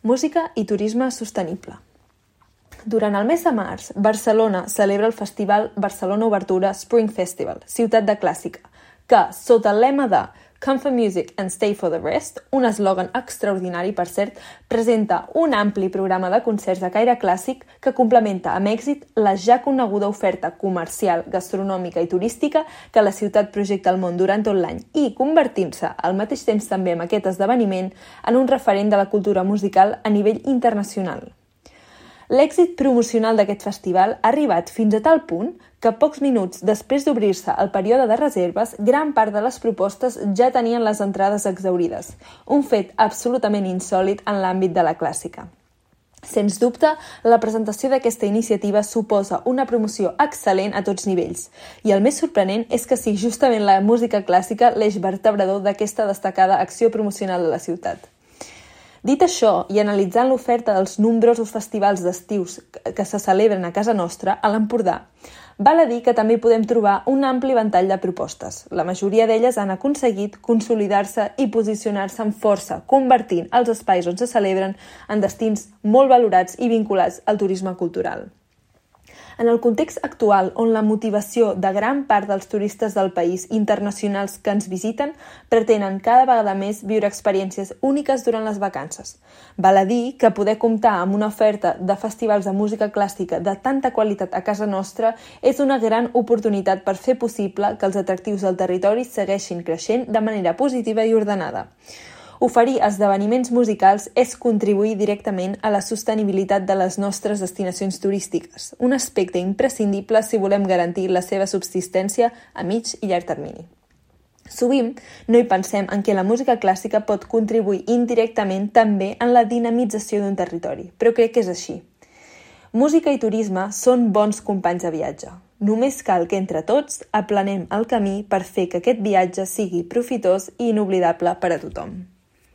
Música i turisme sostenible. Durant el mes de març, Barcelona celebra el festival Barcelona Obertura Spring Festival, ciutat de clàssica, que, sota el lema de Come for Music and Stay for the Rest, un eslògan extraordinari, per cert, presenta un ampli programa de concerts de caire clàssic que complementa amb èxit la ja coneguda oferta comercial, gastronòmica i turística que la ciutat projecta al món durant tot l'any i convertint-se al mateix temps també amb aquest esdeveniment en un referent de la cultura musical a nivell internacional. L'èxit promocional d'aquest festival ha arribat fins a tal punt que pocs minuts després d'obrir-se el període de reserves, gran part de les propostes ja tenien les entrades exhaurides, un fet absolutament insòlit en l'àmbit de la clàssica. Sens dubte, la presentació d'aquesta iniciativa suposa una promoció excel·lent a tots nivells, i el més sorprenent és que sigui justament la música clàssica l'eix vertebrador d'aquesta destacada acció promocional de la ciutat. Dit això, i analitzant l'oferta dels nombrosos festivals d'estius que se celebren a casa nostra, a l'Empordà, val a dir que també podem trobar un ampli ventall de propostes. La majoria d'elles han aconseguit consolidar-se i posicionar-se amb força, convertint els espais on se celebren en destins molt valorats i vinculats al turisme cultural. En el context actual, on la motivació de gran part dels turistes del país internacionals que ens visiten pretenen cada vegada més viure experiències úniques durant les vacances. Val a dir que poder comptar amb una oferta de festivals de música clàssica de tanta qualitat a casa nostra és una gran oportunitat per fer possible que els atractius del territori segueixin creixent de manera positiva i ordenada. Oferir esdeveniments musicals és contribuir directament a la sostenibilitat de les nostres destinacions turístiques, un aspecte imprescindible si volem garantir la seva subsistència a mig i llarg termini. Sovint no hi pensem en què la música clàssica pot contribuir indirectament també en la dinamització d'un territori, però crec que és així. Música i turisme són bons companys de viatge. Només cal que entre tots aplanem el camí per fer que aquest viatge sigui profitós i inoblidable per a tothom.